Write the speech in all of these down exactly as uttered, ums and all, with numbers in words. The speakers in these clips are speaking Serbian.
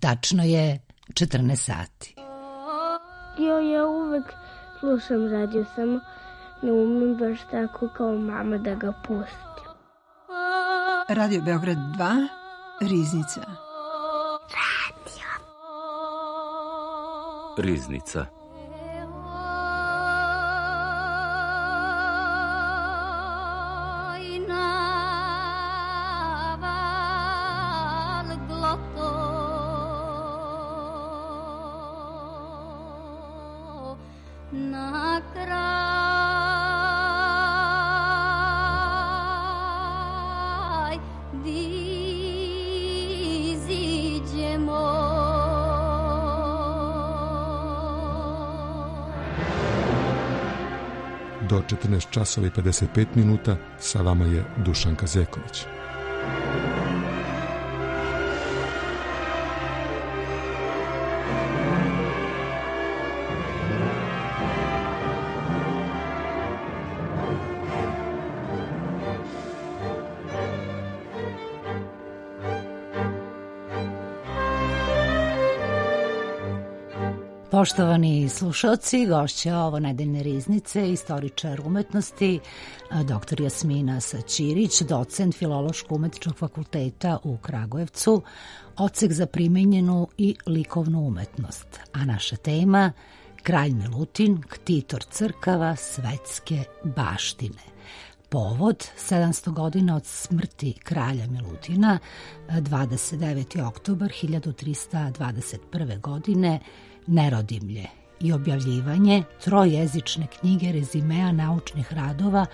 Tačno je četrnaest sati. Jo, ja uvek slušam radio, samo ne umem baš tako kao mama da ga pustim. Radio Beograd dva, Riznica. Radio. Riznica. Do četrnaest časova i pedeset pet minuta sa vama je Dušanka Zeković. Poštovani slušalci, gošća ovo nedeljne riznice, istoričar umetnosti, doktor Jasmina Saćirić, docent Filološko-umetničkog fakulteta u Kragujevcu, odsek za primenjenu i likovnu umetnost. A naša tema, Kralj Milutin, ktitor crkava svetske baštine. Povod, sedamsto godina od smrti kralja Milutina, dvadeset deveti oktobar hiljadu trista dvadeset prve. godine, Nerodimlje i objavljivanje trojezične knjige rezimea naučnih radova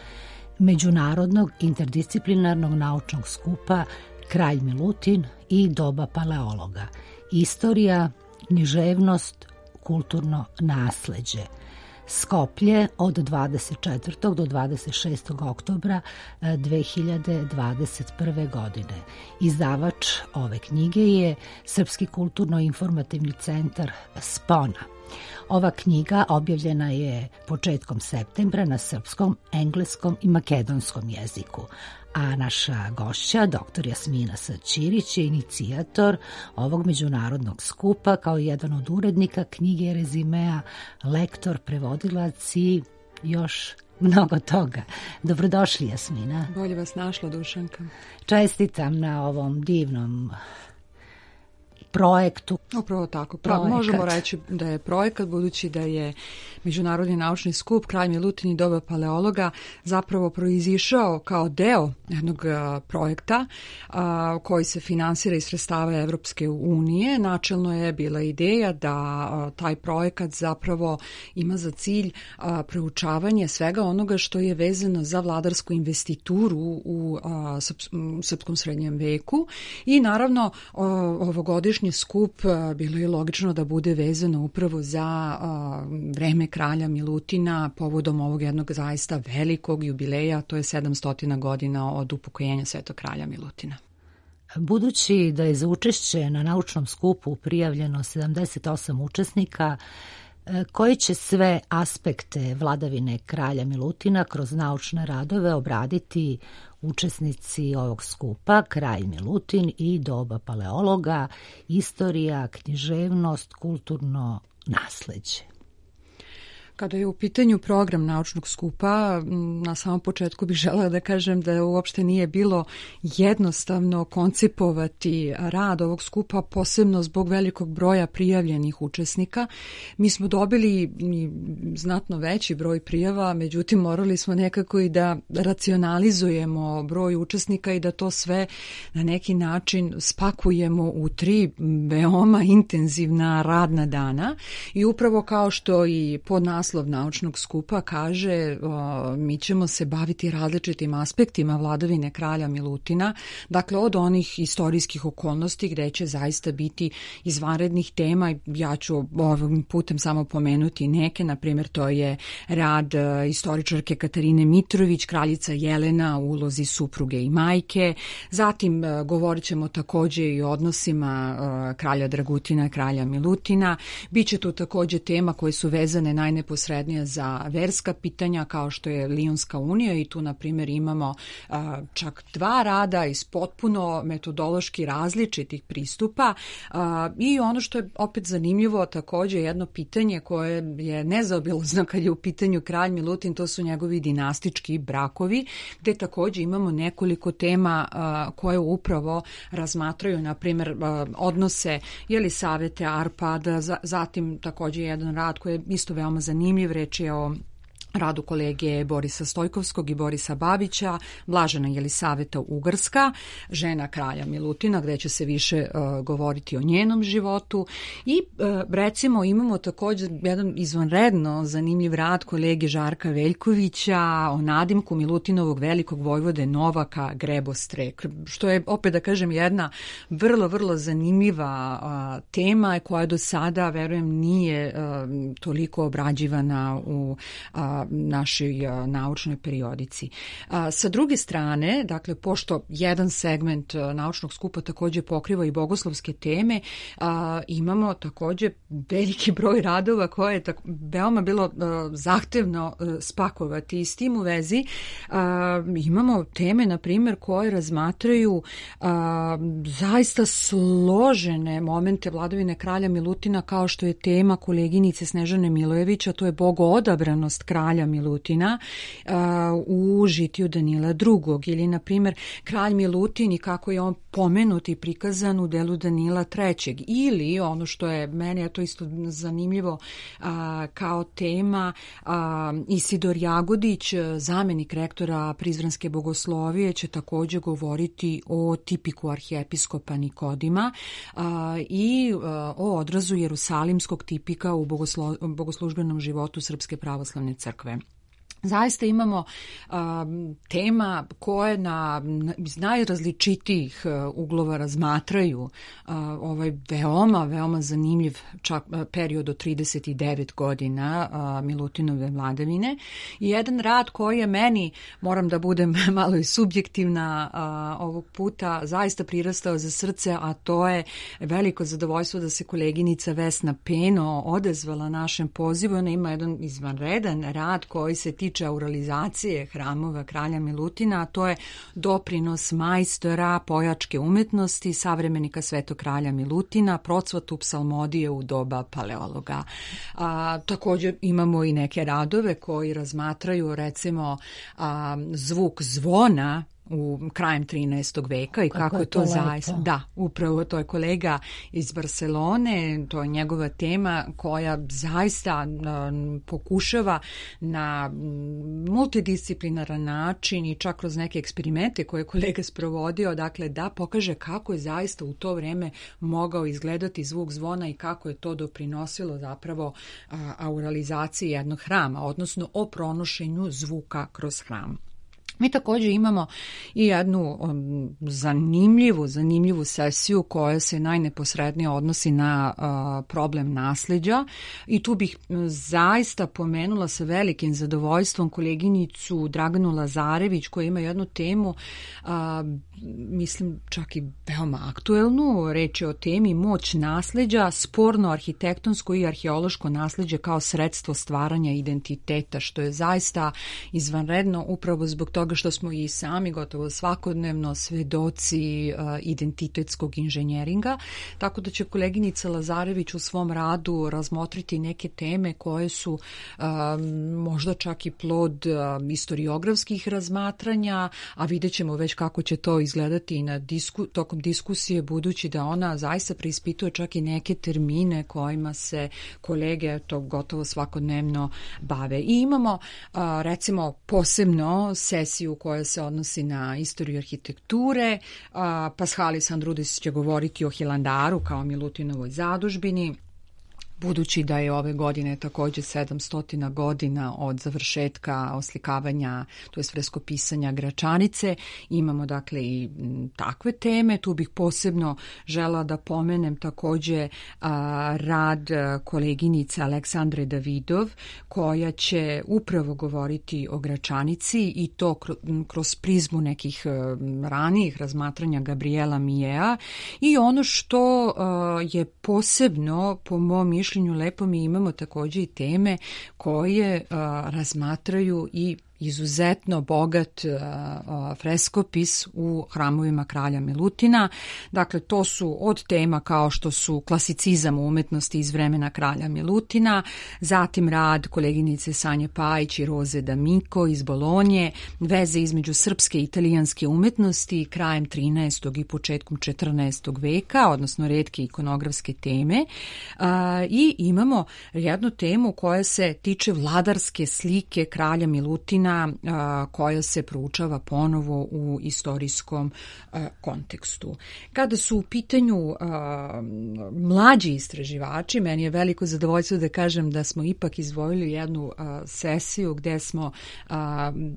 Međunarodnog interdisciplinarnog naučnog skupa Kralj Milutin i doba paleologa. Istorija, književnost, kulturno nasleđe. Skoplje od dvadeset četvrtog do dvadeset šestog oktobra dve hiljade dvadeset prve. godine. Izdavač ove knjige je Srpski kulturno-informativni centar Spona. Ova knjiga objavljena je početkom septembra na srpskom, engleskom i makedonskom jeziku, a naša gošća, doktor Jasmina Saćirić, je inicijator ovog međunarodnog skupa kao jedan od urednika knjige rezimea, lektor, prevodilac i još mnogo toga. Dobrodošli, Jasmina. Bolje vas našla, Dušanka. Čestitam na ovom divnom projektu. Upravo tako. Projekat. Možemo reći da je projekat, budući da je Međunarodni naučni skup Kralj Milutin i doba paleologa zapravo proizišao kao deo jednog a, projekta a, koji se finansira iz sredstava Evropske unije. Načelno je bila ideja da a, taj projekat zapravo ima za cilj a, proučavanje svega onoga što je vezano za vladarsku investituru u a, srps, srpskom srednjem veku i naravno o, ovogodišnji skup a, bilo je logično da bude vezano upravo za a, vreme kralja Milutina povodom ovog jednog zaista velikog jubileja, to je sedamsto godina od upokojenja svetog kralja Milutina. Budući da je za učešće na naučnom skupu prijavljeno sedamdeset osam učesnika, koji će sve aspekte vladavine kralja Milutina kroz naučne radove obraditi učesnici ovog skupa, Kralj Milutin i doba paleologa, istorija, književnost, kulturno nasleđe. Kada je u pitanju program naučnog skupa, na samom početku bih želela da kažem da uopšte nije bilo jednostavno koncipovati rad ovog skupa, posebno zbog velikog broja prijavljenih učesnika. Mi smo dobili znatno veći broj prijava, međutim morali smo nekako i da racionalizujemo broj učesnika i da to sve na neki način spakujemo u tri veoma intenzivna radna dana i upravo kao što i pod naslov naučnog skupa kaže, o, mi ćemo se baviti različitim aspektima vladavine kralja Milutina, dakle od onih istorijskih okolnosti gde će zaista biti izvanrednih tema. Ja ću ovim putem samo pomenuti neke, na primjer to je rad e, istoričarke Katarine Mitrović, kraljica Jelena u ulozi supruge i majke, zatim e, govorit ćemo takođe i o odnosima e, kralja Dragutina i kralja Milutina, biće tu takođe tema koje su vezane najneposrednije najneposrednija za verska pitanja kao što je Lionska unija i tu na primjer imamo a, čak dva rada iz potpuno metodološki različitih pristupa a, i ono što je opet zanimljivo također jedno pitanje koje je nezaobilazno kad je u pitanju kralj Milutin, to su njegovi dinastički brakovi, gde također imamo nekoliko tema a, koje upravo razmatraju, na primjer, a, odnose Jelisavete, Arpada, za, zatim također jedan rad koji je isto veoma zanimljiv, reč je o radu kolege Borisa Stojkovskog i Borisa Babića, Blažena Jelisaveta Ugarska, žena kralja Milutina, gde će se više uh, govoriti o njenom životu i uh, recimo imamo također jedan izvanredno zanimljiv rad kolege Žarka Veljkovića o nadimku Milutinovog velikog vojvode Novaka Grebostrek, što je opet da kažem jedna vrlo, vrlo zanimljiva uh, tema koja do sada, verujem, nije uh, toliko obrađivana u uh, našoj a, naučnoj periodici. A, sa druge strane, dakle, pošto jedan segment a, naučnog skupa također pokriva i bogoslovske teme, a, imamo također veliki broj radova koje je tako, veoma bilo a, zahtevno a, spakovati i s tim u vezi a, imamo teme, na primjer, koje razmatraju a, zaista složene momente vladavine kralja Milutina, kao što je tema koleginice Snežane Milojevića, to je bogoodabranost kralja Milutina uh, u žitiju Danila drugog. Ili, na primjer, kralj Milutin i kako je on pomenut i prikazan u delu Danila trećeg. Ili, ono što je, meni je to isto zanimljivo uh, kao tema, uh, Isidor Jagodić, zamenik rektora Prizrenske bogoslovije, će također govoriti o tipiku arhijepiskopa Nikodima uh, i uh, o odrazu jerusalimskog tipika u bogoslo, bogoslužbenom životu Srpske pravoslavne crkve. Zaista imamo um, tema koje na, na iz najrazličitijih uh, uglova razmatraju uh, ovaj veoma, veoma zanimljiv čak uh, period od trideset devet godina uh, Milutinove vladavine. I jedan rad koji je meni, moram da budem malo i subjektivna uh, ovog puta, zaista prirastao za srce, a to je veliko zadovoljstvo da se koleginica Vesna Peno odezvala našem pozivu. Ona ima jedan izvanredan rad koji se tiče auralizacije hramova kralja Milutina, a to je doprinos majstora pojačke umetnosti, savremenika svetog kralja Milutina, procvatu psalmodije u doba paleologa. A, također imamo i neke radove koji razmatraju, recimo, a, zvuk zvona u krajem trinaestog veka i kako, kako je to, to zaista. Da, upravo to je kolega iz Barcelone, to je njegova tema koja zaista um, pokušava na multidisciplinaran način i čak kroz neke eksperimente koje je kolega sprovodio, dakle da pokaže kako je zaista u to vrijeme mogao izgledati zvuk zvona i kako je to doprinosilo zapravo uh, auralizaciji jednog hrama, odnosno o pronošenju zvuka kroz hram. Mi također imamo i jednu um, zanimljivu, zanimljivu sesiju koja se najneposrednije odnosi na uh, problem nasljeđa i tu bih zaista pomenula sa velikim zadovoljstvom koleginicu Draganu Lazarević koja ima jednu temu, uh, mislim čak i veoma aktuelnu, reč je o temi moć nasljeđa, sporno arhitektonsko i arheološko nasljeđe kao sredstvo stvaranja identiteta, što je zaista izvanredno upravo zbog toga što smo i sami gotovo svakodnevno svedoci uh, identitetskog inženjeringa, tako da će koleginica Lazarević u svom radu razmotriti neke teme koje su uh, možda čak i plod uh, historiografskih razmatranja, a vidjet ćemo već kako će to izgledati i na disku, tokom diskusije, budući da ona zaista preispituje čak i neke termine kojima se kolege to gotovo svakodnevno bave. I imamo uh, recimo posebno sesiju koja se odnosi na istoriju arhitekture. Paschalis Andrudis će govoriti o Hilandaru kao Milutinovoj zadužbini. Budući da je ove godine također sedamsto godina od završetka oslikavanja, to jest freskopisanja Gračanice, imamo dakle i takve teme. Tu bih posebno žela da pomenem također a, rad koleginice Aleksandre Davidov, koja će upravo govoriti o Gračanici i to kroz prizmu nekih ranijih razmatranja Gabriela Mijea. I ono što a, je posebno po mom mišljenju mišljenju lepo mi imamo takođe i teme koje a, razmatraju i izuzetno bogat uh, freskopis u hramovima kralja Milutina. Dakle, to su od tema kao što su klasicizam umetnosti iz vremena kralja Milutina, zatim rad koleginice Sanje Pajić i Roze D'Amico iz Bolonje, veze između srpske i italijanske umetnosti krajem trinaestog i početkom četrnaestog veka, odnosno retke ikonografske teme. Uh, I imamo jednu temu koja se tiče vladarske slike kralja Milutina koja se proučava ponovo u istorijskom kontekstu. Kada su u pitanju mlađi istraživači, meni je veliko zadovoljstvo da kažem da smo ipak izdvojili jednu sesiju gde smo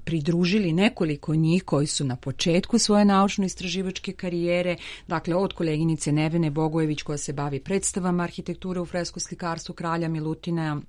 pridružili nekoliko njih koji su na početku svoje naučno-istraživačke karijere, dakle od koleginice Nevene Bogojević koja se bavi predstavama arhitekture u freskoslikarstvu kralja Milutina,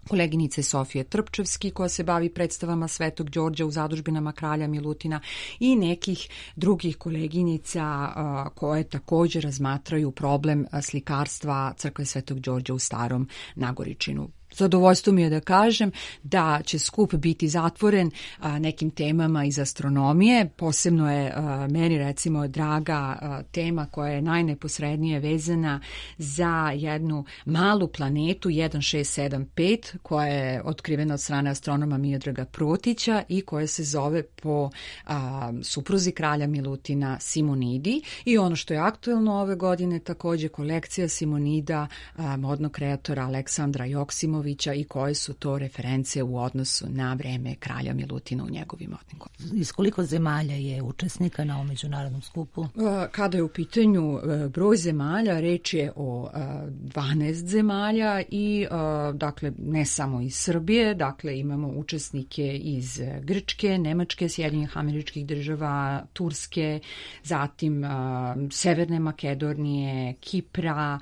koleginice Sofije Trpčevski koja se bavi predstavama Svetog Đorđa u zadužbinama kralja Milutina i nekih drugih koleginica uh, koje također razmatraju problem slikarstva crkve Svetog Đorđa u Starom Nagoričinu. Zadovoljstvo mi je da kažem da će skup biti zatvoren a, nekim temama iz astronomije. Posebno je a, meni recimo draga a, tema koja je najneposrednije vezana za jednu malu planetu jedan šest sedam pet koja je otkrivena od strane astronoma Miodraga Protića i koja se zove po a, supruzi kralja Milutina Simonidi. I ono što je aktuelno ove godine takođe kolekcija Simonida a, modnog kreatora Aleksandra Joksimovića i koje su to reference u odnosu na vreme kralja Milutina u njegovim modnim godinama. Iz koliko zemalja je učesnika na ovom međunarodnom skupu? Kada je u pitanju broj zemalja, reč je o dvanaest zemalja i dakle ne samo iz Srbije, dakle imamo učesnike iz Grčke, Nemačke, Sjedinjenih Američkih Država, Turske, zatim Severne Makedonije, Kipra,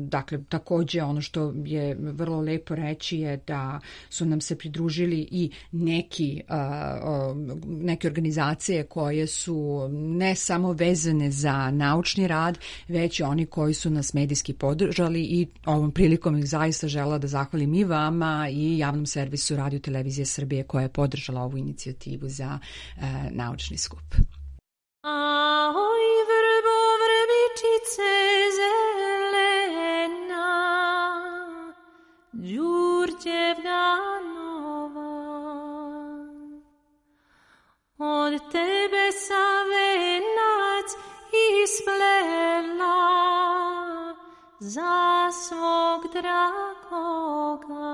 dakle takođe ono što je vrlo lepo reći je da su nam se pridružili i neki, uh, neke organizacije koje su ne samo vezane za naučni rad, već i oni koji su nas medijski podržali i ovom prilikom ih zaista žela da zahvalim i vama i javnom servisu Radio Televizije Srbije koja je podržala ovu inicijativu za uh, naučni skup. Ahoj, vrbo, vrbičice zelena, Đurđevna nova, od tebe sam venac isplela za svog dragoga.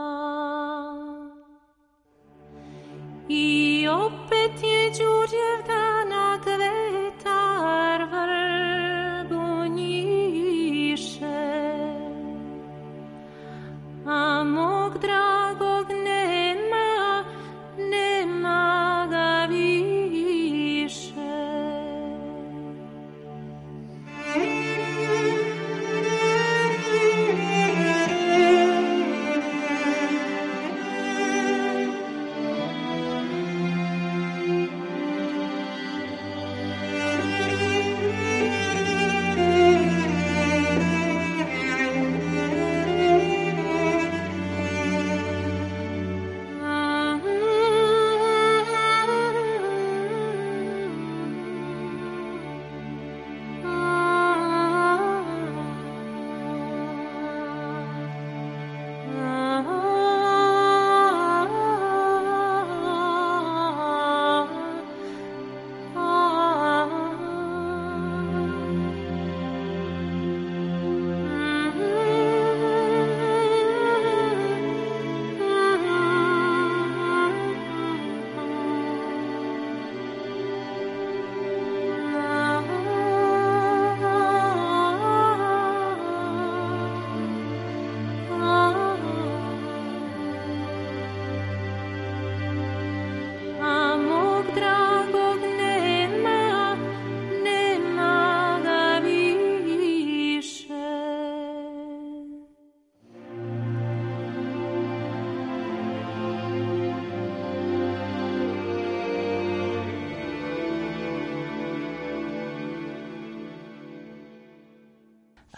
I opet je Đurđevdana kvetar vrbu njiše, a mog dragog nema, nema ga više.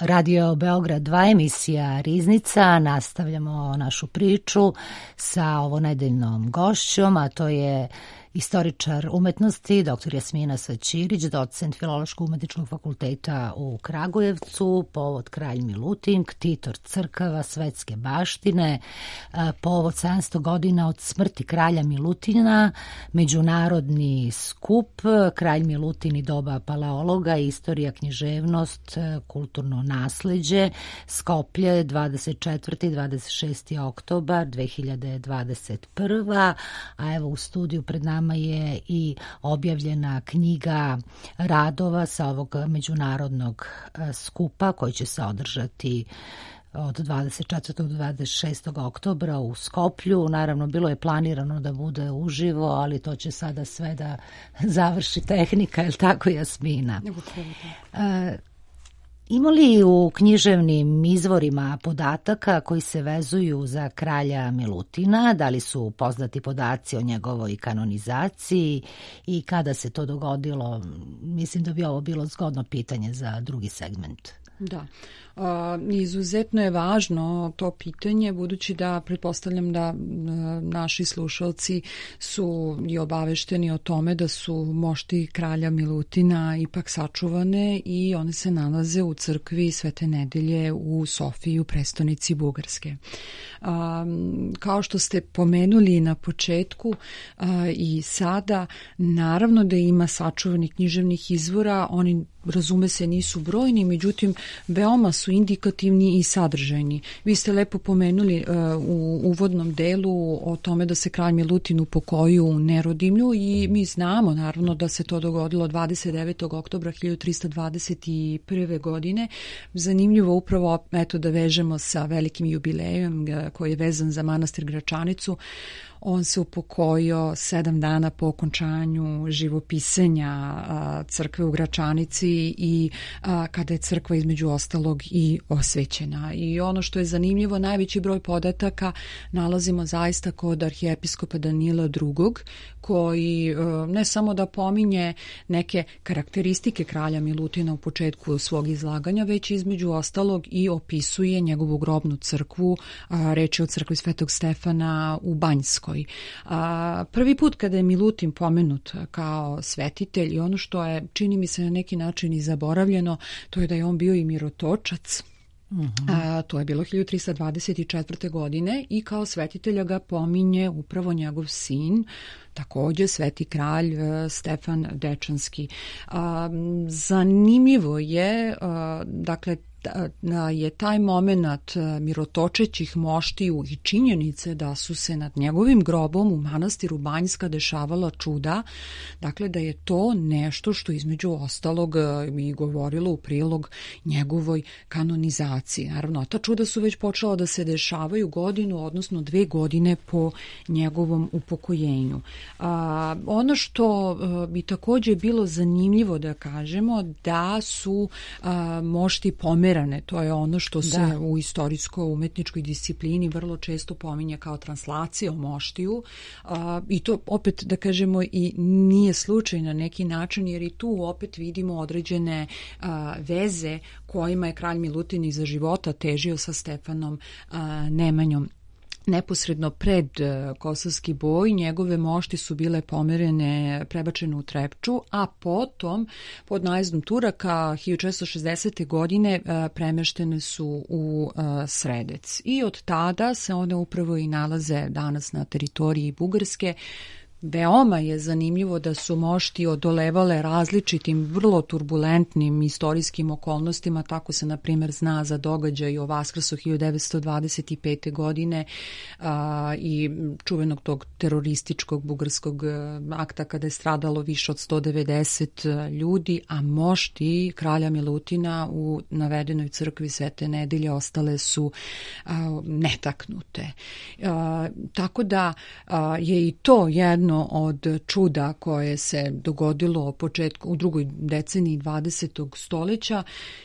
Radio Beograd dva, emisija Riznica. Nastavljamo našu priču sa ovonedeljnom gošćom, a to je istoričar umetnosti, doktor Jasmina Saćirić, docent Filološko-umetničkog fakulteta u Kragujevcu, povod Kralj Milutin, ktitor crkava, svetske baštine, povod sedamsto godina od smrti kralja Milutina, međunarodni skup, Kralj Milutin i doba paleologa, istorija, književnost, kulturno nasleđe, Skoplje, dvadeset četvrti i dvadeset šesti oktobar dve hiljade dvadeset prva. A evo u studiju pred nama je i objavljena knjiga radova sa ovog međunarodnog skupa koji će se održati od dvadeset četvrtog do dvadeset šestog oktobra u Skoplju. Naravno, bilo je planirano da bude uživo, ali to će sada sve da završi tehnika, je li tako, Jasmina? E, Ima li u književnim izvorima podataka koji se vezuju za kralja Milutina? Da li su poznati podaci o njegovoj kanonizaciji i kada se to dogodilo? Mislim da bi ovo bilo zgodno pitanje za drugi segment. Da, a, izuzetno je važno to pitanje, budući da pretpostavljam da a, naši slušalci su i obavešteni o tome da su mošti kralja Milutina ipak sačuvane i one se nalaze u crkvi Svete Nedelje u Sofiji, u prestonici Bugarske. A, kao što ste pomenuli na početku a, i sada, naravno da ima sačuvanih književnih izvora, oni razume se nisu brojni, međutim veoma su indikativni i sadržajni. Vi ste lepo pomenuli uh, u uvodnom delu o tome da se kralj Milutin upokojio u Nerodimlju i mi znamo naravno da se to dogodilo dvadeset devetog oktobra hiljadu trista dvadeset prve. godine. Zanimljivo upravo eto da vežemo sa velikim jubilejem koji je vezan za manastir Gračanicu. On se upokojio sedam dana po okončanju živopisanja a, crkve u Gračanici i a, kada je crkva između ostalog i osvećena. I ono što je zanimljivo, najveći broj podataka nalazimo zaista kod arhijepiskopa Danila drugog, koji a, ne samo da pominje neke karakteristike kralja Milutina u početku svog izlaganja, već između ostalog i opisuje njegovu grobnu crkvu, a, reč je o crkvi Svetog Stefana u Banjskoj. A, prvi put kada je Milutin pomenut kao svetitelj i ono što je, čini mi se na neki način i zaboravljeno, to je da je on bio i mirotočac. Uh-huh. A, to je bilo hiljadu trista dvadeset četvrte. godine i kao svetitelja ga pominje upravo njegov sin, također sveti kralj uh, Stefan Dečanski. A, zanimljivo je, a, dakle, je taj moment mirotočećih moštiju i činjenice da su se nad njegovim grobom u manastiru Banjska dešavala čuda, dakle da je to nešto što između ostalog i govorilo u prilog njegovoj kanonizaciji. Naravno, ta čuda su već počela da se dešavaju godinu, odnosno dve godine po njegovom upokojenju. A, ono što a, bi također bilo zanimljivo da kažemo, da su a, mošti pomerani. To je ono što se da. u istorijsko-umetničkoj disciplini vrlo često pominje kao translacija o moštiju a, i to opet da kažemo i nije slučaj na neki način, jer i tu opet vidimo određene a, veze kojima je kralj Milutin iza života težio sa Stefanom a, Nemanjom. Neposredno pred kosovski boj njegove mošti su bile pomerene, prebačene u Trepču, a potom pod najezdom Turaka hiljadu četiristo šezdesete. godine premeštene su u Sredec. I od tada se one upravo i nalaze danas na teritoriji Bugarske. Veoma je zanimljivo da su mošti odolevale različitim, vrlo turbulentnim istorijskim okolnostima. Tako se, na primjer, zna za događaj o Vaskrsu hiljadu devetsto dvadeset pete. godine a, i čuvenog tog terorističkog bugarskog akta kada je stradalo više od sto devedeset ljudi, a mošti kralja Milutina u navedenoj crkvi Svete Nedelje ostale su a, netaknute. A, tako da a, je i to jedno jedno od čuda koje se dogodilo početku, u drugoj deceniji dvadesetog stoljeća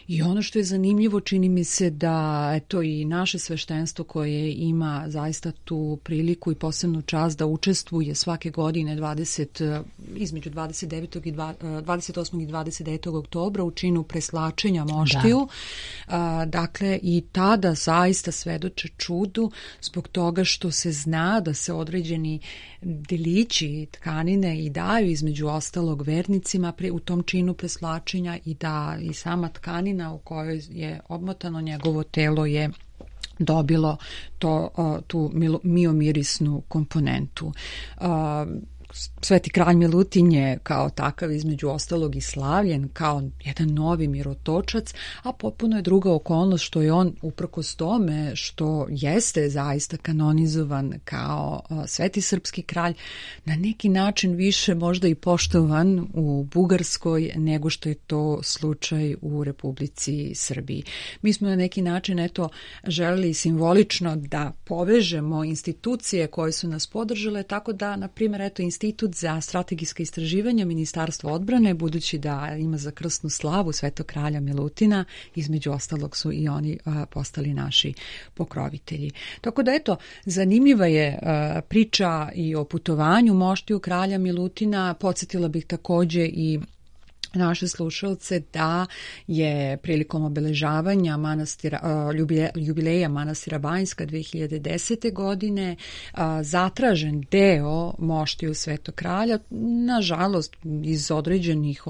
i ono što je zanimljivo, čini mi se da eto i naše sveštenstvo koje ima zaista tu priliku i posebnu čast da učestvuje svake godine dvadeset, između dvadeset devetog i dvadeset osmog i dvadeset devetog oktobra u činu preslačenja moštiju. Da. Dakle, i tada zaista svedoče čudu zbog toga što se zna da se određeni delići tkanine i daju između ostalog vernicima u tom činu preslačenja i da i sama tkanina u kojoj je obmotano njegovo telo je dobilo to, tu miomirisnu komponentu. Sveti kralj Milutin je kao takav između ostalog i slavljen kao jedan novi mirotočac, a potpuno je druga okolnost što je on uprkos tome što jeste zaista kanonizovan kao sveti srpski kralj, na neki način više možda i poštovan u Bugarskoj nego što je to slučaj u Republici Srbiji. Mi smo na neki način eto želeli simbolično da povežemo institucije koje su nas podržale, tako da na primjer eto Institut za strategijska istraživanja Ministarstva odbrane, budući da ima za krsnu slavu Svetog kralja Milutina, između ostalog su i oni a, postali naši pokrovitelji. Tako da eto, zanimljiva je a, priča i o putovanju moštiju kralja Milutina. Podsjetila bih također i naše slušalce da je prilikom obeležavanja manastira, jubileja manastira Banjska dve hiljade desete. godine zatražen deo moštiju Svetog kralja. Nažalost, iz određenih,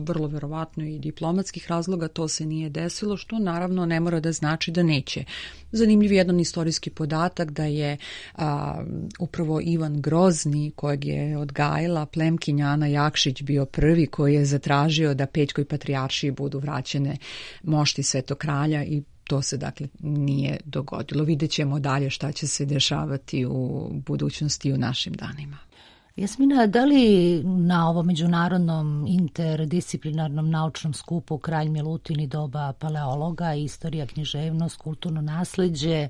vrlo verovatno i diplomatskih razloga to se nije desilo, što naravno ne mora da znači da neće. Zanimljiv je jedan istorijski podatak da je a, upravo Ivan Grozni, kojeg je odgajila plemkinja Ana Jakšić, bio prvi koji je zatražio da Pećkoj patrijaršiji budu vraćene mošti Svetog kralja i to se dakle nije dogodilo. Vidjet ćemo dalje šta će se dešavati u budućnosti i u našim danima. Jasmina, da li na ovom međunarodnom interdisciplinarnom naučnom skupu Kralj Milutin i doba paleologa, istorija, književnost, kulturno nasleđe,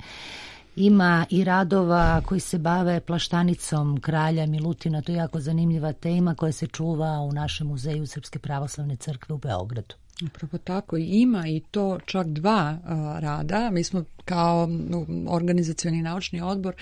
ima i radova koji se bave plaštanicom kralja Milutina? To je jako zanimljiva tema koja se čuva u našem muzeju Srpske pravoslavne crkve u Beogradu. Upravo tako, ima i to čak dva uh, rada. Mi smo kao organizacioni naučni odbor,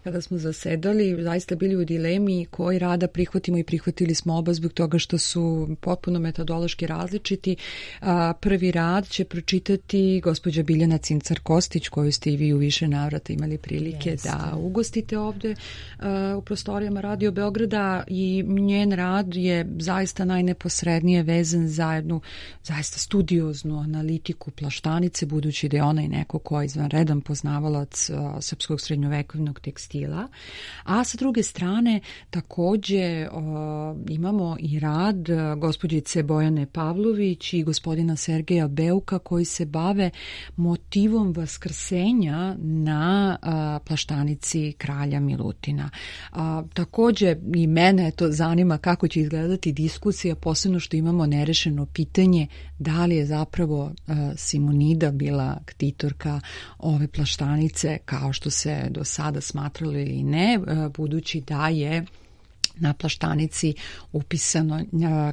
kada smo zasedali, zaista bili u dilemi koji rada prihvatimo i prihvatili smo oba zbog toga što su potpuno metodološki različiti. Uh, prvi rad će pročitati gospođa Biljana Cincar-Kostić, koju ste i vi u više navrata imali prilike Jeste. da ugostite ovde uh, u prostorijama Radio Beograda, i njen rad je zaista najneposrednije vezan za jednu zaista studioznu analitiku plaštanice, budući da je ona i neko ko je izvanredan poznavalac uh, srpskog srednjovekovnog tekstila. A sa druge strane takođe uh, imamo i rad uh, gospođice Bojane Pavlović i gospodina Sergeja Beuka, koji se bave motivom vaskrsenja na uh, plaštanici kralja Milutina. Uh, takođe i mene to zanima kako će izgledati diskusija, posebno što imamo nerešeno pitanje da li je zapravo uh, Simonida bila ktitorka ove plaštanice, kao što se do sada smatralo ili ne, uh, budući da je na plaštanici upisano uh,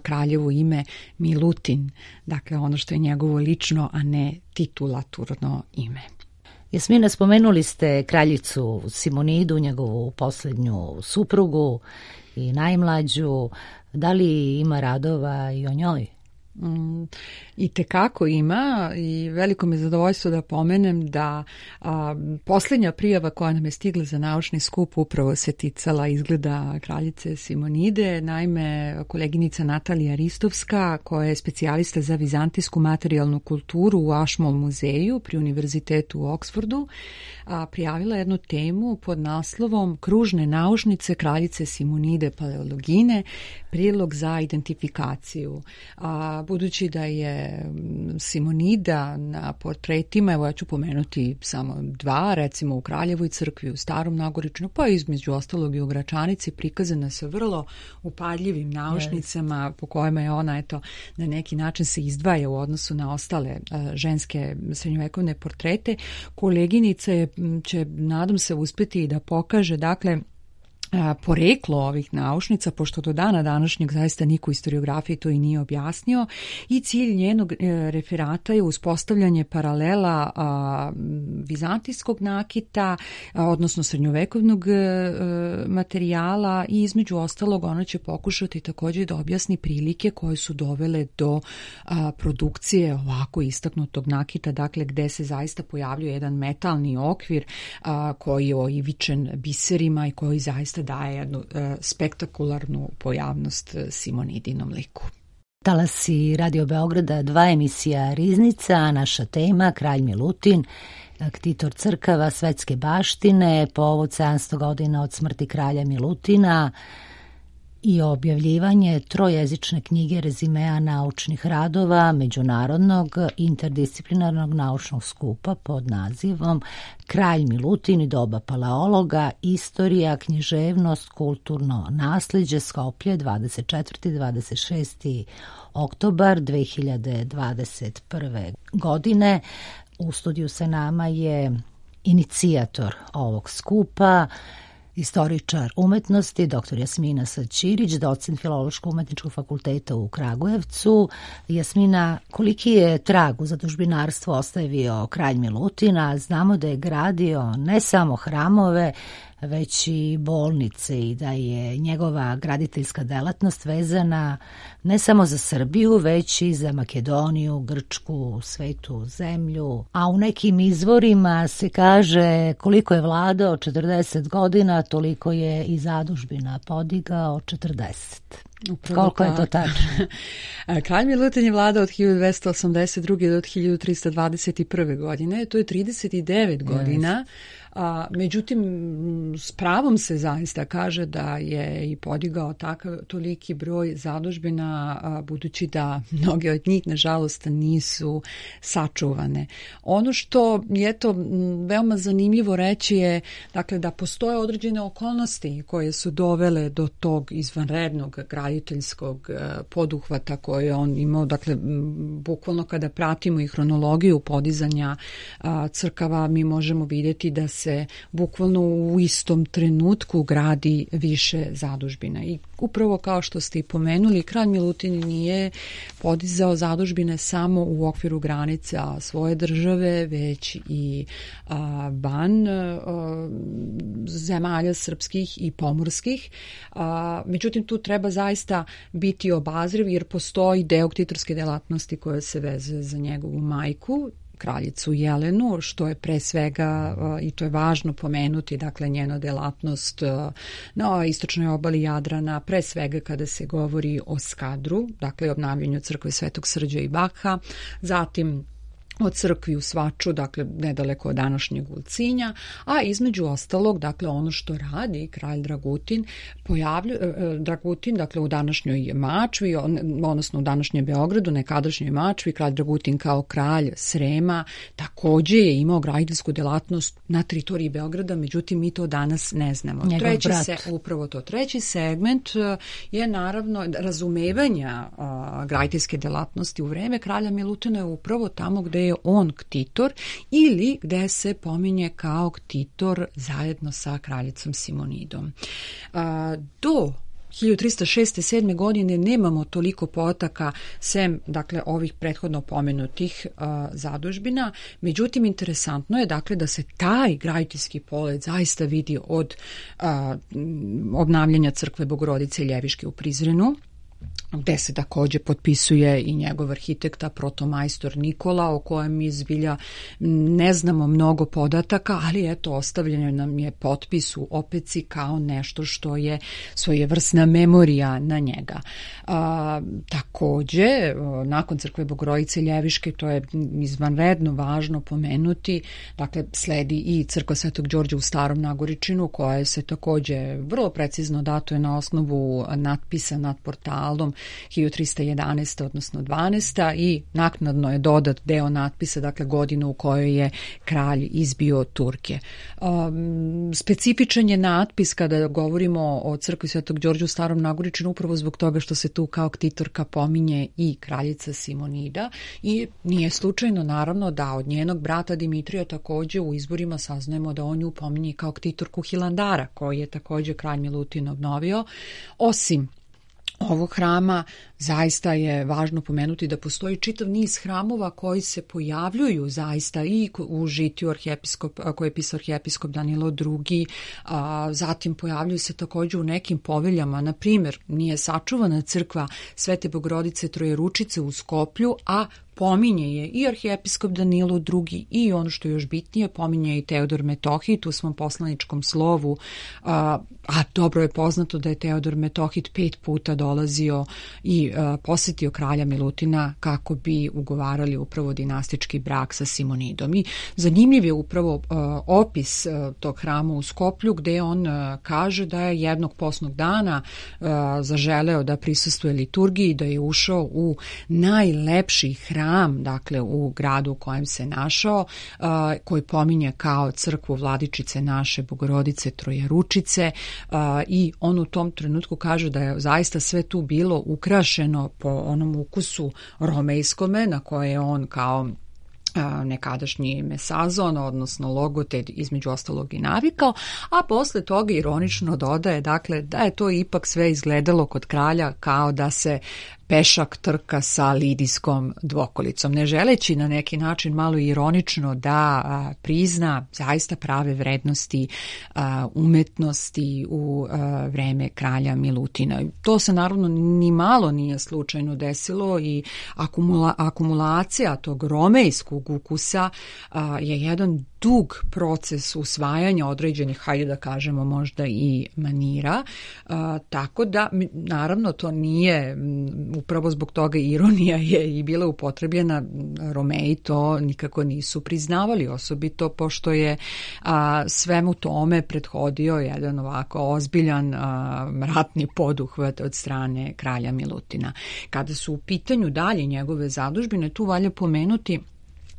kraljevo ime Milutin, dakle ono što je njegovo lično, a ne titulaturno ime. Jasmina, spomenuli ste kraljicu Simonidu, njegovu posljednju suprugu i najmlađu. Da li ima radova i o njoj? Mm, i tekako ima, i veliko mi je zadovoljstvo da pomenem da a, posljednja prijava koja nam je stigla za naučni skup upravo se ticala izgleda kraljice Simonide. Naime, koleginica Natalija Ristovska, koja je specijalista za vizantijsku materijalnu kulturu u Ashmole muzeju pri Univerzitetu u Oksfordu, a, prijavila jednu temu pod naslovom Kružne naušnice kraljice Simonide paleologine, prilog za identifikaciju. A, budući da je Simonida na portretima, evo ja ću pomenuti samo dva, recimo u Kraljevoj crkvi, u Starom Nagoričnu, pa između ostalog i u Gračanici, prikazana sa vrlo upadljivim naušnicama yes. po kojima je ona eto na neki način se izdvaja u odnosu na ostale uh, ženske srednjovekovne portrete. Koleginica je, će, nadam se, uspeti da pokaže, dakle, poreklo ovih naučnica, pošto do dana današnjeg zaista niko u historiografiji to i nije objasnio, i cilj njenog referata je uspostavljanje paralela a, vizantijskog nakita, a, odnosno srednjovekovnog a, materijala, i između ostalog ona će pokušati također da objasni prilike koje su dovele do a, produkcije ovako istaknutog nakita, dakle gde se zaista pojavljuje jedan metalni okvir a, koji je oivičen biserima i koji zaista daje jednu e, spektakularnu pojavnost Simonidinom liku. Talasi Radio Beograda, dva emisija Riznica, naša tema Kralj Milutin, ktitor crkava svetske baštine, povod sedamsto godina od smrti kralja Milutina i objavljivanje trojezične knjige rezimea naučnih radova Međunarodnog interdisciplinarnog naučnog skupa pod nazivom Kralj Milutin i doba paleologa, istorija, književnost, kulturno naslijeđe, Skoplje, dvadeset četvrti do dvadeset šesti oktobar dve hiljade dvadeset prve. godine. U studiju sa nama je inicijator ovog skupa, istoričar umetnosti, doktor Jasmina Saćirić, docent Filološko-umetničkog fakulteta u Kragujevcu. Jasmina, koliki je trag u zadužbinarstvu ostavio kralj Milutin? Znamo da je gradio ne samo hramove, već i bolnice i da je njegova graditeljska delatnost vezana ne samo za Srbiju, već i za Makedoniju, Grčku, Svetu zemlju. A u nekim izvorima se kaže koliko je vladao četrdeset godina, toliko je i zadužbina podigao četrdeset. Upravo koliko je to tačno? Kralj Milutin je vladao od hiljadu dvesta osamdeset druge do hiljadu trista dvadeset prve. godine, to je trideset devet godina. A, međutim, s pravom se zaista kaže da je i podigao takav toliki broj zadužbina, a, budući da mnoge od njih, nažalost, nisu sačuvane. Ono što je to veoma zanimljivo reći je, dakle, da postoje određene okolnosti koje su dovele do tog izvanrednog graditeljskog poduhvata koje on imao. Dakle, bukvalno kada pratimo i hronologiju podizanja a, crkava, mi možemo vidjeti da se se bukvalno u istom trenutku gradi više zadužbina. I upravo kao što ste i pomenuli, kralj Milutin nije podizao zadužbine samo u okviru granica svoje države, već i a, van a, zemalja srpskih i pomorskih. A, međutim, tu treba zaista biti obazriv, jer postoji deo ktitorske delatnosti koja se veze za njegovu majku, kraljicu Jelenu, što je pre svega, i to je važno pomenuti, dakle njena delatnost na istočnoj obali Jadrana, pre svega kada se govori o Skadru, dakle obnavljanju crkve Svetog Srđa i Bakha, zatim o crkvi u Svaču, dakle nedaleko od današnjeg Ulcinja, a između ostalog, dakle ono što radi kralj Dragutin, pojavlju, Dragutin, dakle u današnjoj Mačvi, odnosno u današnjem Beogradu, nekadašnjoj Mačvi, kralj Dragutin kao kralj Srema također je imao graditeljsku delatnost na teritoriji Beograda, međutim mi to danas ne znamo. Njegov treći brat. se, upravo to. Treći segment je naravno razumevanja a, graditeljske delatnosti u vreme kralja Milutina je upravo tamo gde je on ktitor ili gde se pominje kao ktitor zajedno sa kraljicom Simonidom. A, do hiljadu trista šeste sedme. godine nemamo toliko podataka sem, dakle, ovih prethodno pomenutih uh, zadužbina. Međutim, interesantno je, dakle, da se taj graditeljski polet zaista vidi od uh, obnavljanja crkve Bogorodice Ljeviške u Prizrenu, gde se također potpisuje i njegov arhitekta, protomajstor Nikola, o kojem mi zbilja ne znamo mnogo podataka, ali eto, ostavljeno nam je potpis u opeci kao nešto što je svojevrsna memorija na njega. A, također, nakon crkve Bogorodice Ljeviške, to je izvanredno važno pomenuti, dakle, sledi i crkva Svetog Đorđa u Starom Nagoričinu, koja se također vrlo precizno datuje na osnovu natpisa nad portalom hiljadu trista jedanaesta odnosno dvanaesta i naknadno je dodat deo natpisa, dakle godinu u kojoj je kralj izbio Turke. Um, specifičan je natpis kada govorimo o crkvi Svetog Đorđa u Starom Nagoričinu upravo zbog toga što se tu kao ktitorka pominje i kraljica Simonida i nije slučajno naravno da od njenog brata Dimitrija takođe u izborima saznajemo da on nju pominje kao ktitorku Hilandara koji je takođe kralj Milutin obnovio. Osim ovog hrama zaista je važno pomenuti da postoji čitav niz hramova koji se pojavljuju zaista i u žitiju arhijepiskop, koje je pisao arhijepiskop Danilo drugi, a, zatim pojavljuju se također u nekim poveljama, na primjer nije sačuvana crkva Svete Bogorodice Trojeručice u Skoplju, a pominje je i arhijepiskop Danilo drugi i ono što je još bitnije, pominje i Teodor Metohit u svom poslaničkom slovu, a, a dobro je poznato da je Teodor Metohit pet puta dolazio i a, posjetio kralja Milutina kako bi ugovarali upravo dinastički brak sa Simonidom. I zanimljiv je upravo a, opis a, tog hrama u Skoplju gde on a, kaže da je jednog postnog dana a, zaželeo da prisustvuje liturgiji, da je ušao u najlepši hram dakle u gradu u kojem se našao, uh, koji pominje kao crkvu Vladičice naše Bogorodice Trojeručice uh, i on u tom trenutku kaže da je zaista sve tu bilo ukrašeno po onom ukusu romejskome na koje je on kao nekadašnji mesazon, odnosno logoted između ostalog i navikao, a posle toga ironično dodaje dakle da je to ipak sve izgledalo kod kralja kao da se pešak trka sa lidijskom dvokolicom, ne želeći na neki način malo ironično da a, prizna zaista prave vrednosti a, umetnosti u a, vreme kralja Milutina. To se naravno ni malo nije slučajno desilo i akumula, akumulacija tog romejskog ukusa a, je jedan dug proces usvajanja određenih, hajde da kažemo možda i manira, a, tako da naravno to nije upravo zbog toga ironija je i bila upotrebljena, Romeji to nikako nisu priznavali, osobito pošto je a, svemu tome prethodio jedan ovako ozbiljan a, ratni poduhvat od strane kralja Milutina. Kada su u pitanju dalje njegove zadužbine, tu valja pomenuti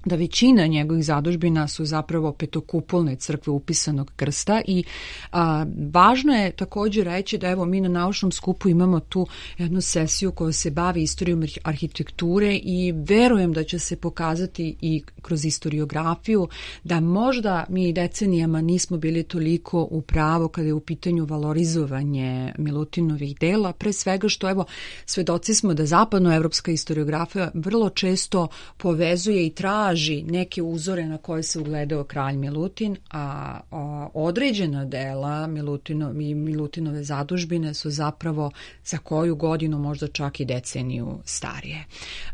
da većina njegovih zadužbina su zapravo petokupolne crkve upisanog krsta i a, važno je također reći da evo mi na naučnom skupu imamo tu jednu sesiju koja se bavi istorijom arhitekture i verujem da će se pokazati i kroz historiografiju da možda mi decenijama nismo bili toliko u pravu kada je u pitanju valorizovanje Milutinovih dela, pre svega što evo svedoci smo da zapadnoevropska historiografija vrlo često povezuje i traži neke uzore na koje se ugledao kralj Milutin, a, a određena dela Milutino, Milutinove zadužbine su zapravo za koju godinu, možda čak i deceniju starije.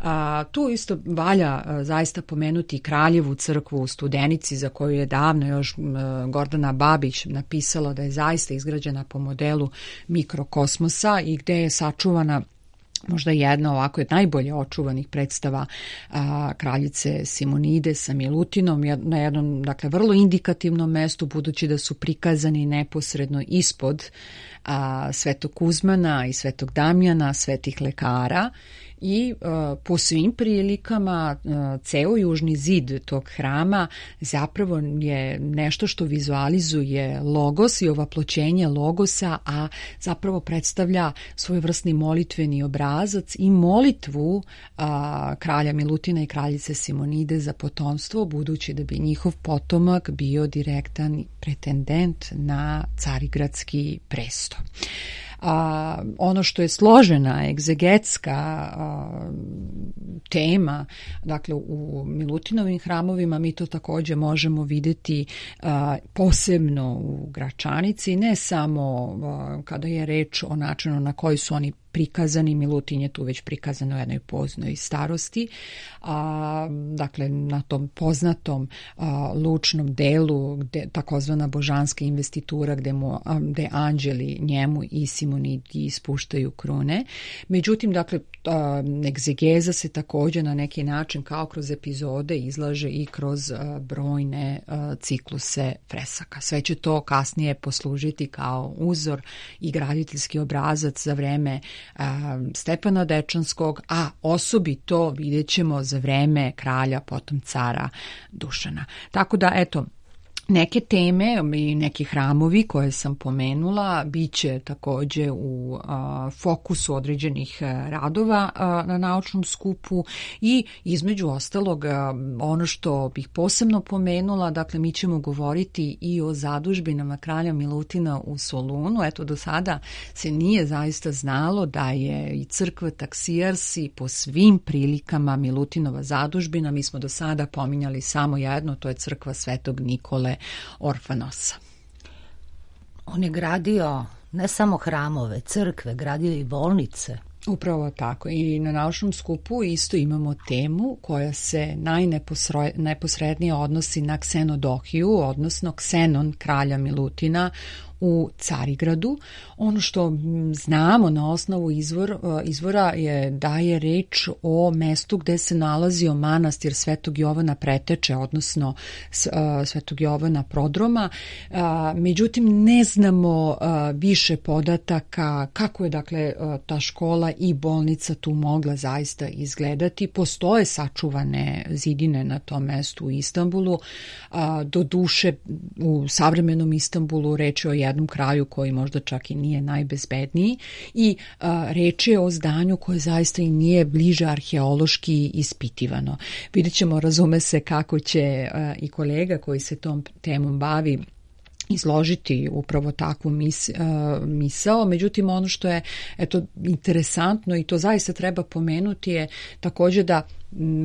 A, tu isto valja a, zaista pomenuti Kraljevu crkvu u Studenici, za koju je davno još a, Gordana Babić napisala da je zaista izgrađena po modelu mikrokosmosa i gde je sačuvana možda jedna ovako je najbolje očuvanih predstava a, kraljice Simonide sa Milutinom na jednom, dakle, vrlo indikativnom mestu, budući da su prikazani neposredno ispod a, Svetog Kuzmana i Svetog Damjana, svetih lekara. I uh, po svim prilikama uh, ceo južni zid tog hrama zapravo je nešto što vizualizuje logos i ovaploćenje logosa, a zapravo predstavlja svojevrsni molitveni obrazac i molitvu uh, kralja Milutina i kraljice Simonide za potomstvo, budući da bi njihov potomak bio direktan pretendent na carigradski presto. A, ono što je složena egzegetska a, tema, dakle u Milutinovim hramovima mi to također možemo vidjeti a, posebno u Gračanici, ne samo a, kada je reč o načinu na koji su oni prikazani, Milutin je tu već prikazan u jednoj poznoj starosti, a, dakle na tom poznatom a, lučnom delu, gde, takozvana božanska investitura gde, mu, a, gde anđeli njemu i Simonidi ispuštaju krune. Međutim, dakle, a, egzegeza se također na neki način kao kroz epizode izlaže i kroz a, brojne a, cikluse fresaka. Sve će to kasnije poslužiti kao uzor i graditeljski obrazac za vreme a, Stefana Dečanskog, a osobito vidjet ćemo za vreme kralja, potom cara Dušana. Tako da, eto, neke teme i neki hramovi koje sam pomenula biće takođe u a, fokusu određenih radova a, na naučnom skupu i između ostalog a, ono što bih posebno pomenula, dakle mi ćemo govoriti i o zadužbinama kralja Milutina u Solunu. Eto, do sada se nije zaista znalo da je i crkva Taksijarsi po svim prilikama Milutinova zadužbina. Mi smo do sada pominjali samo jedno, to je crkva Svetog Nikole Orfanosa. On je gradio ne samo hramove, crkve, gradio i bolnice. Upravo tako. I na naučnom skupu isto imamo temu koja se najneposrednije odnosi na Ksenodohiju, odnosno Ksenon kralja Milutina u Carigradu. Ono što znamo na osnovu izvor, izvora je da je reč o mestu gde se nalazio manastir Svetog Jovana Preteče, odnosno Svetog Jovana Prodroma. Međutim, ne znamo više podataka kako je dakle ta škola i bolnica tu mogla zaista izgledati. Postoje sačuvane zidine na tom mestu u Istanbulu. Do duše u savremenom Istanbulu reč je o jednom kraju koji možda čak i nije najbezbedniji i a, reč je o zdanju koje zaista i nije bliže arheološki ispitivano. Vidjet ćemo, razume se, kako će a, i kolega koji se tom temom bavi izložiti upravo takvu mis, uh, misao. Međutim, ono što je eto, interesantno i to zaista treba pomenuti je također da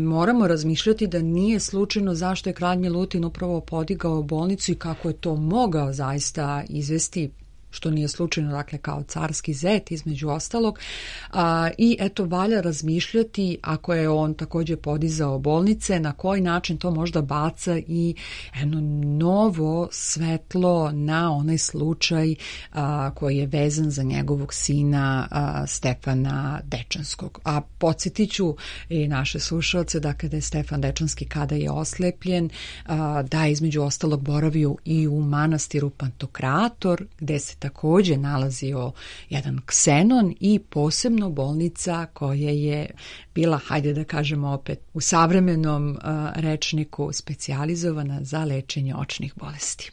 moramo razmišljati da nije slučajno zašto je kralj Milutin upravo podigao bolnicu i kako je to mogao zaista izvesti, što nije slučajno, dakle, kao carski zet između ostalog. A, I eto, valja razmišljati, ako je on također podizao bolnice, na koji način to možda baca i jedno novo svetlo na onaj slučaj a, koji je vezan za njegovog sina a, Stefana Dečanskog. A podsjetit ću i naše slušalce da kada je Stefan Dečanski, kada je oslepljen, a, da je između ostalog boravio i u manastiru Pantokrator, gde se također nalazio jedan ksenon i posebno bolnica koja je bila, hajde da kažemo opet, u savremenom uh, rečniku specijalizovana za lečenje očnih bolesti.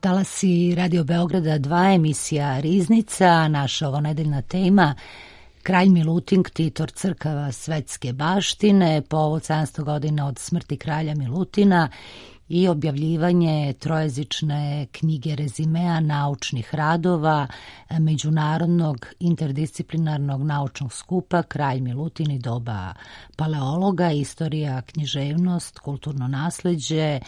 Talasi Radio Beograda dva, emisija Riznica, naša ovonedeljna tema Kralj Milutin, ktitor crkava svetske baštine, povod sedamsto godina od smrti kralja Milutina i objavljivanje trojezične knjige rezimea naučnih radova međunarodnog interdisciplinarnog naučnog skupa Kralj Milutin i doba paleologa, istorija, književnost, kulturno nasleđe,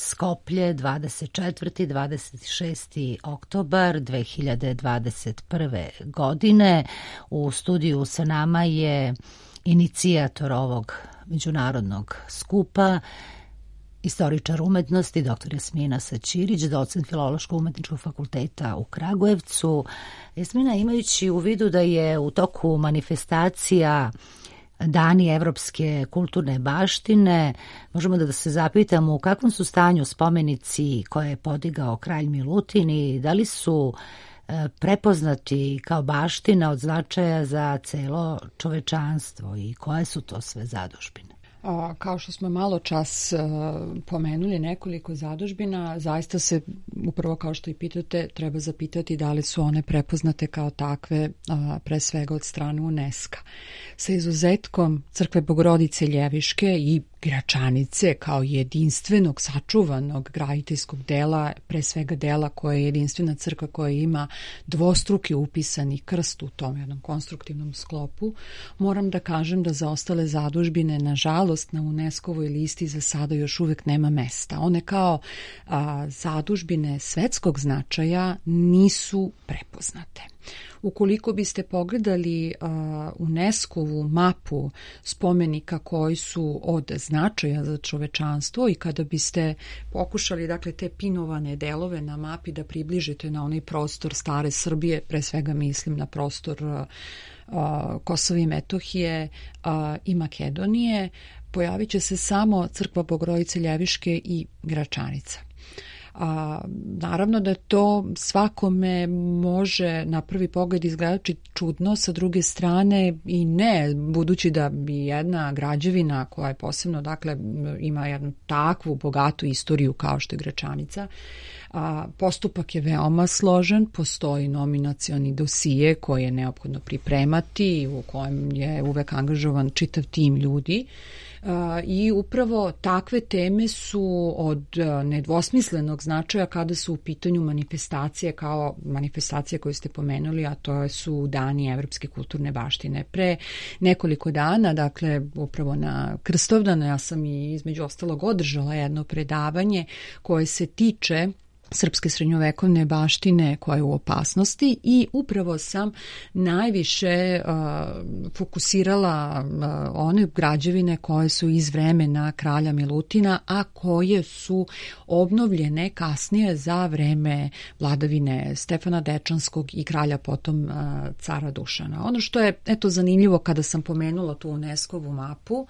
Skoplje, dvadeset četvrti do dvadeset šesti oktobar dve hiljade dvadeset prve. godine. U studiju sa nama je inicijator ovog međunarodnog skupa, istoričar umetnosti, doktor Jasmina Saćirić, docent Filološko-umetničkog fakulteta u Kragujevcu. Jasmina, imajući u vidu da je u toku manifestacija Dani evropske kulturne baštine, možemo da se zapitamo u kakvom su stanju spomenici koje je podigao kralj Milutin i da li su prepoznati kao baština od značaja za celo čovečanstvo i koje su to sve zadužbine? A, kao što smo malo čas a, pomenuli nekoliko zadužbina, zaista se, upravo kao što i pitate, treba zapitati da li su one prepoznate kao takve, a, pre svega od strane UNESCO. Sa izuzetkom Crkve Bogorodice Ljeviške i Gračanice kao jedinstvenog, sačuvanog graditeljskog dela, pre svega dela koje je jedinstvena crkva koja ima dvostruki upisani krst u tom jednom konstruktivnom sklopu, moram da kažem da za ostale zadužbine, nažalost, na UNESCO-voj listi za sada još uvek nema mesta. One kao a, zadužbine svetskog značaja nisu prepoznate. Ukoliko biste pogledali uh, UNESCO-vu mapu spomenika koji su od značaja za čovečanstvo i kada biste pokušali, dakle, te pinovane delove na mapi da približite na onaj prostor stare Srbije, pre svega mislim na prostor uh, uh, Kosova i Metohije uh, i Makedonije, pojavit će se samo Crkva Bogorodice Ljeviške i Gračanica. A, naravno da to svakome može na prvi pogled izgledati čudno, sa druge strane i ne, budući da bi jedna građevina koja je posebno, dakle, ima jednu takvu bogatu istoriju kao što je Gračanica, a, postupak je veoma složen, postoji nominacioni dosije koje je neophodno pripremati, u kojem je uvek angažovan čitav tim ljudi. Uh, i upravo takve teme su od uh, nedvosmislenog značaja kada su u pitanju manifestacije kao manifestacije koje ste pomenuli, a to su Dani evropske kulturne baštine. Pre nekoliko dana, dakle upravo na Krstovdan, ja sam i između ostalog održala jedno predavanje koje se tiče srpske srednjovekovne baštine koja je u opasnosti i upravo sam najviše uh, fokusirala uh, one građevine koje su iz vremena kralja Milutina, a koje su obnovljene kasnije za vreme vladavine Stefana Dečanskog i kralja potom uh, cara Dušana. Ono što je eto zanimljivo kada sam pomenula tu UNESCO-vu mapu,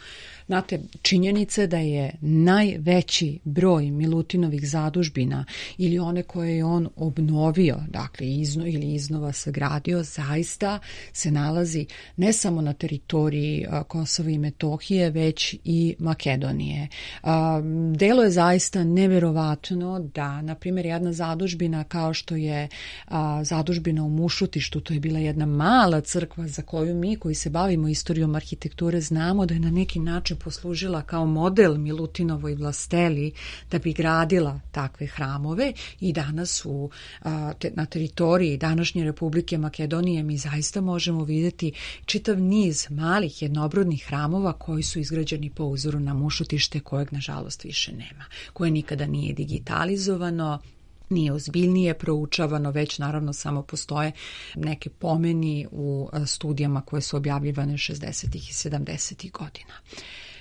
znate, činjenica da je najveći broj Milutinovih zadužbina ili one koje je on obnovio, dakle izno, ili iznova sagradio, zaista se nalazi ne samo na teritoriji a, Kosova i Metohije, već i Makedonije. A, delo je zaista neverovatno da, na primjer, jedna zadužbina kao što je a, zadužbina u Mušutištu, to je bila jedna mala crkva za koju mi koji se bavimo istorijom arhitekture znamo da je na neki način poslužila kao model Milutinovoj vlasteli da bi gradila takve hramove i danas u, a, te, na teritoriji današnje Republike Makedonije mi zaista možemo vidjeti čitav niz malih jednobrodnih hramova koji su izgrađeni po uzoru na Mušutište kojeg nažalost više nema, koje nikada nije digitalizovano, nije ozbiljnije proučavano, već naravno samo postoje neke pomeni u studijama koje su objavljivane šezdesetih i sedamdesetih godina.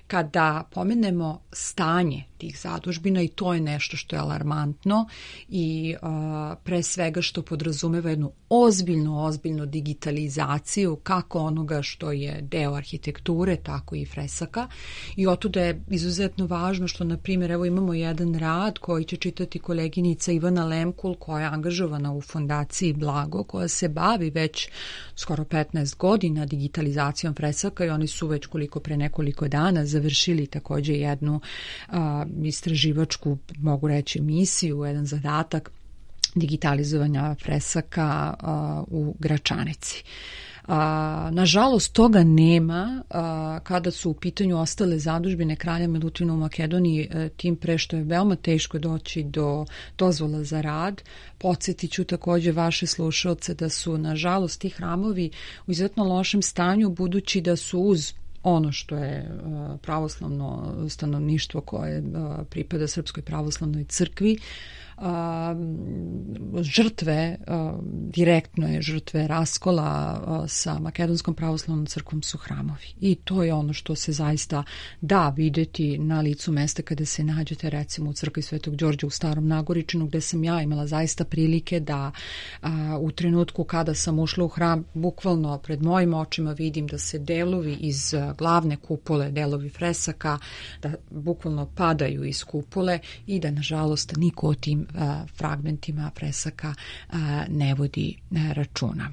Kada pomenemo stanje tih zadužbina, i to je nešto što je alarmantno i a, pre svega što podrazumeva jednu ozbiljnu, ozbiljnu digitalizaciju kako onoga što je deo arhitekture, tako i fresaka. I otuda je izuzetno važno što, na primjer, evo imamo jedan rad koji će čitati koleginica Ivana Lemkul, koja je angažovana u fondaciji Blago, koja se bavi već skoro petnaest godina digitalizacijom fresaka i oni su već koliko pre nekoliko dana završili također jednu a, istraživačku, mogu reći, misiju, jedan zadatak digitalizovanja fresaka a, u Gračanici. A, nažalost, toga nema a, kada su u pitanju ostale zadužbine kralja Milutina u Makedoniji, a, tim pre što je veoma teško doći do dozvola za rad. Podsjetit ću također vaše slušalce da su, nažalost, ti hramovi u izuzetno lošem stanju, budući da su uz ono što je pravoslavno stanovništvo koje pripada Srpskoj pravoslavnoj crkvi, žrtve, direktno je žrtve raskola sa Makedonskom pravoslavnom crkvom su hramovi. I to je ono što se zaista da videti na licu mesta kada se nađete recimo u crkvi Svetog Đorđa u Starom Nagoričinu, gde sam ja imala zaista prilike da a, u trenutku kada sam ušla u hram, bukvalno pred mojim očima vidim da se delovi iz glavne kupole, delovi fresaka, da bukvalno padaju iz kupole i da nažalost niko o tim fragmentima fresaka ne vodi računa.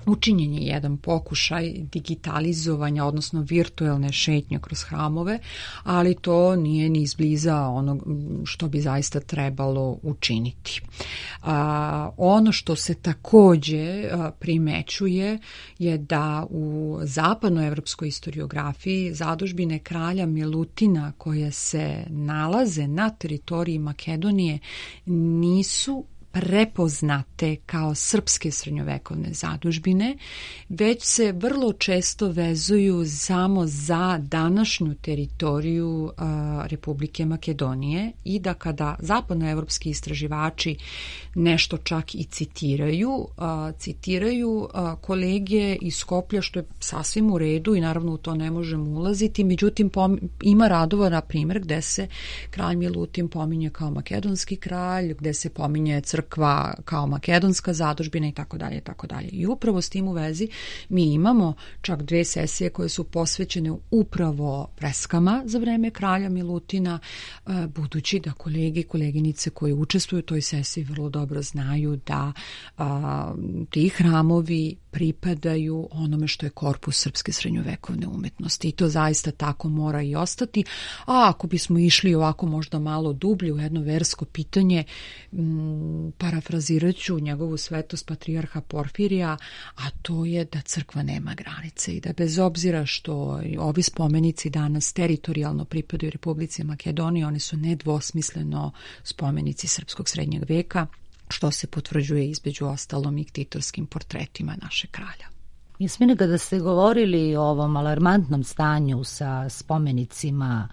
Učinjen je jedan pokušaj digitalizovanja, odnosno virtuelne šetnje kroz hramove, ali to nije ni izbliza ono što bi zaista trebalo učiniti. A, ono što se takođe a, primećuje je da u zapadnoevropskoj historiografiji zadužbine kralja Milutina koje se nalaze na teritoriji Makedonije nisu prepoznate kao srpske srednjovekovne zadužbine, već se vrlo često vezuju samo za današnju teritoriju a, Republike Makedonije i da kada zapadnoevropski istraživači nešto čak i citiraju, a, citiraju a, kolege iz Skoplja, što je sasvim u redu i naravno u to ne možemo ulaziti, međutim pom, ima radova, na primjer, gde se kralj Milutin pominje kao makedonski kralj, gde se pominje crkva kao makedonska zadužbina i tako dalje i tako dalje. I upravo s tim u vezi mi imamo čak dve sesije koje su posvećene upravo freskama za vreme kralja Milutina, budući da kolege i koleginice koji učestvuju u toj sesiji vrlo dobro znaju da a, ti hramovi pripadaju onome što je korpus srpske srednjovekovne umetnosti i to zaista tako mora i ostati. A ako bismo išli ovako možda malo dublje u jedno versko pitanje, m, parafrazirat ću njegovu svetost patrijarha Porfirija, a to je da crkva nema granice i da bez obzira što ovi spomenici danas teritorijalno pripadaju Republici Makedoniji, oni su nedvosmisleno spomenici srpskog srednjeg veka, što se potvrđuje između ostalom i ktitorskim portretima naše kralja. Jasmine, kada ste govorili o ovom alarmantnom stanju sa spomenicima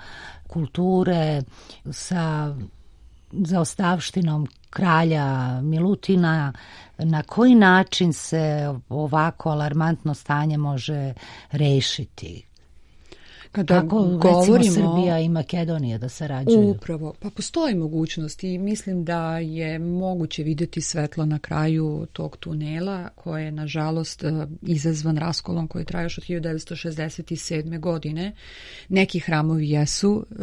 kulture, sa zaostavštinom kralja Milutina, na koji način se ovako alarmantno stanje može rešiti? Kada Kako govorimo, recimo Srbija i Makedonija da sarađuju? Upravo, pa postoji mogućnost i mislim da je moguće vidjeti svetlo na kraju tog tunela koje je nažalost izazvan raskolom koji traje još od hiljadu devetsto šezdeset sedme. godine. Neki hramovi jesu e,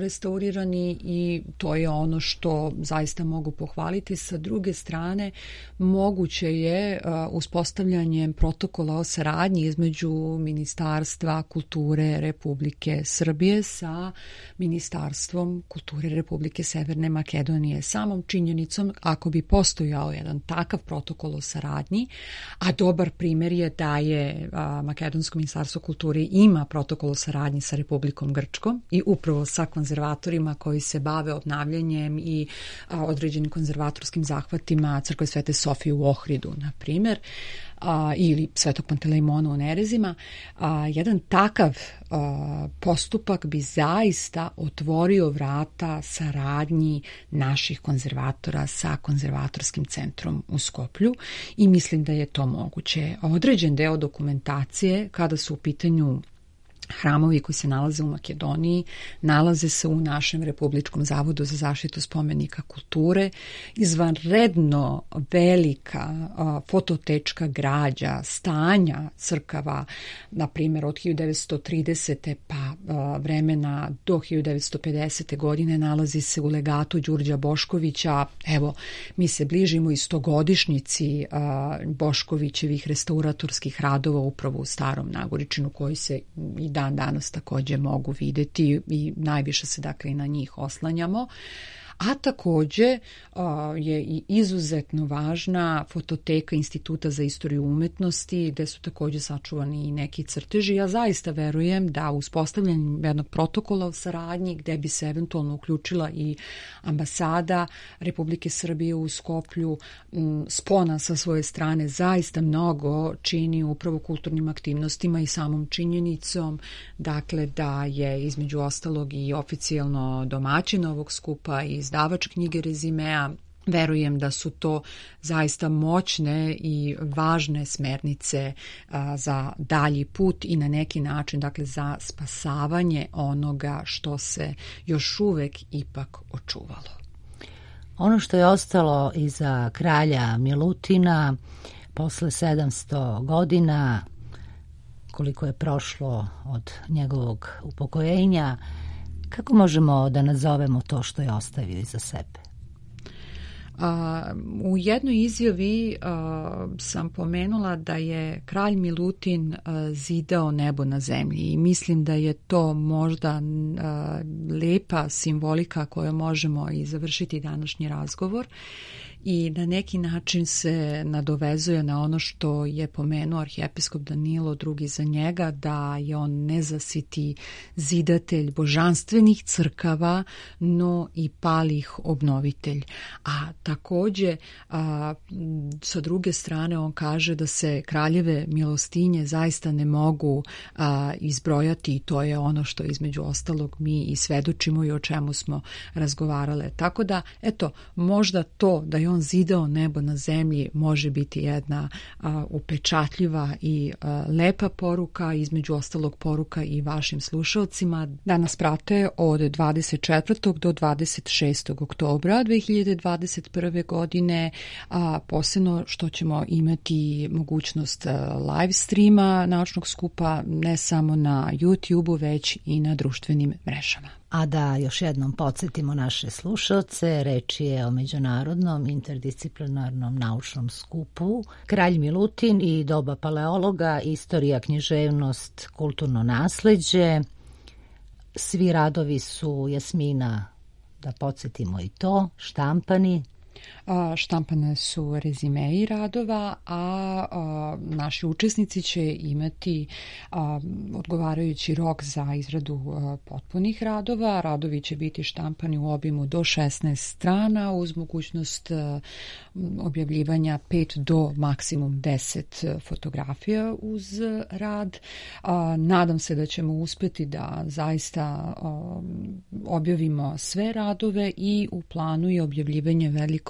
restaurirani i to je ono što zaista mogu pohvaliti. Sa druge strane, moguće je e, uspostavljanjem protokola o saradnji između Ministarstva kulture Republike Srbije sa Ministarstvom kulture Republike Severne Makedonije. Samom činjenicom, ako bi postojao jedan takav protokol o saradnji, a dobar primjer je da je a, Makedonsko ministarstvo kulture ima protokol o saradnji sa Republikom Grčkom i upravo sa konzervatorima koji se bave obnavljanjem i a, određenim konzervatorskim zahvatima Crkve Svete Sofije u Ohridu, na primjer, a, ili Svetog Pantelejmona u Nerezima, a, jedan takav a, postupak bi zaista otvorio vrata saradnji naših konzervatora sa konzervatorskim centrom u Skoplju i mislim da je to moguće. Određen deo dokumentacije kada su u pitanju hramovi koji se nalaze u Makedoniji nalaze se u našem Republičkom zavodu za zaštitu spomenika kulture. Izvanredno velika a, fototečka građa, stanja crkava, na primjer od hiljadu devetsto tridesete pa a, vremena do hiljadu devetsto pedesete. godine nalazi se u legatu Đurđa Boškovića. Evo, mi se bližimo i stogodišnjici a, Boškovićevih restauratorskih radova upravo u Starom Nagoričinu koji se i dan danas također mogu vidjeti i najviše se dakle i na njih oslanjamo. A takođe je i izuzetno važna fototeka Instituta za istoriju umetnosti, gde su takođe sačuvani i neki crteži. Ja zaista verujem da uspostavljanjem jednog protokola o saradnji, gde bi se eventualno uključila i ambasada Republike Srbije u Skoplju, spona sa svoje strane zaista mnogo čini upravo kulturnim aktivnostima i samom činjenicom, dakle da je između ostalog i oficijalno domaćin ovog skupa i izdavač knjige Rezimea. Verujem da su to zaista moćne i važne smernice a, za dalji put i na neki način, dakle, za spasavanje onoga što se još uvek ipak očuvalo. Ono što je ostalo iza kralja Milutina posle sedamsto godina, koliko je prošlo od njegovog upokojenja, kako možemo da nazovemo to što je ostavio iza sebe? A, u jednoj izjavi a, sam pomenula da je kralj Milutin a, zidao nebo na zemlji i mislim da je to možda a, lepa simbolika koju možemo i završiti današnji razgovor i na neki način se nadovezuje na ono što je pomenuo arhijepiskop Danilo drugi za njega, da je on nezasiti zidatelj božanstvenih crkava, no i palih obnovitelj. A takođe, a, sa druge strane, on kaže da se kraljeve milostinje zaista ne mogu a, izbrojati i to je ono što između ostalog mi i svedočimo i o čemu smo razgovarale. Tako da, eto, možda to da je on zidao nebo na zemlji može biti jedna a, upečatljiva i a, lepa poruka, između ostalog poruka i vašim slušalcima. Danas prate od dvadeset četvrtog do dvadeset šestog oktobra dve hiljade dvadeset prve. godine, a posebno što ćemo imati mogućnost live streama naučnog skupa ne samo na YouTube-u, već i na društvenim mrežama. A da još jednom podsjetimo naše slušalce, reč je o međunarodnom interdisciplinarnom naučnom skupu Kralj Milutin i doba paleologa, istorija, književnost, kulturno nasleđe. Svi radovi su, Jasmina, da podsjetimo i to, štampani. Štampane su rezimei radova, a, a naši učesnici će imati a, odgovarajući rok za izradu a, potpunih radova. Radovi će biti štampani u obimu do šesnaest strana uz mogućnost a, objavljivanja pet do maksimum deset fotografija uz rad. A, nadam se da ćemo uspeti da zaista a, objavimo sve radove i u planu je objavljivanje velikog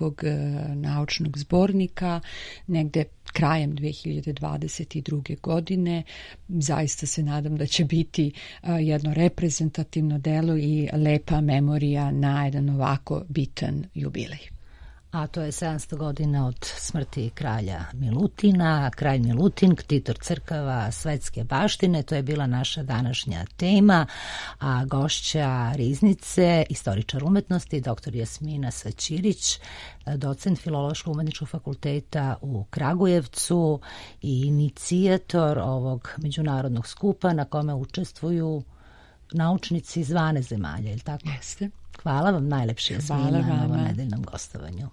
naučnog zbornika negde krajem dve hiljade dvadeset druge. godine. Zaista se nadam da će biti jedno reprezentativno delo i lepa memorija na jedan ovako bitan jubilej. A to je sedamsto godina od smrti kralja Milutina. Kralj Milutin, ktitor crkava svetske baštine, to je bila naša današnja tema, a gošća Riznice, istoričar umetnosti, doktor Jasmina Saćirić, docent Filološko-umetničkog fakulteta u Kragujevcu i inicijator ovog međunarodnog skupa na kome učestvuju naučnici iz dvanaest zemalja, je li tako? Jeste. Hvala vam najlepše, Jasmina, na ovom nedeljnom gostovanju.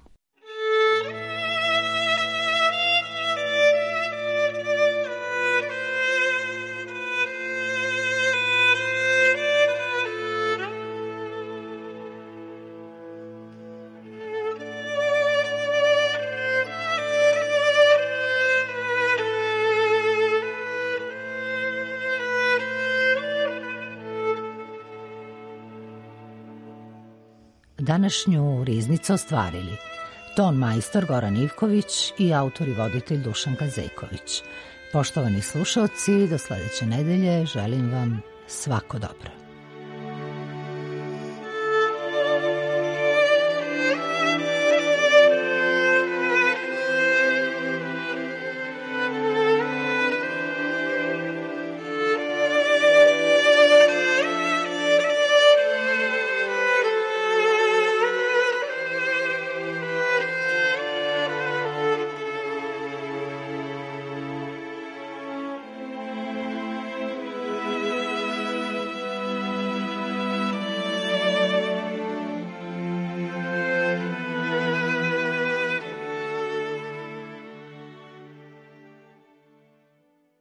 Današnju Riznicu ostvarili ton majstor Goran Ivković i autor i voditelj Dušan Kazejković. Poštovani slušalci, do sledeće nedelje želim vam svako dobro.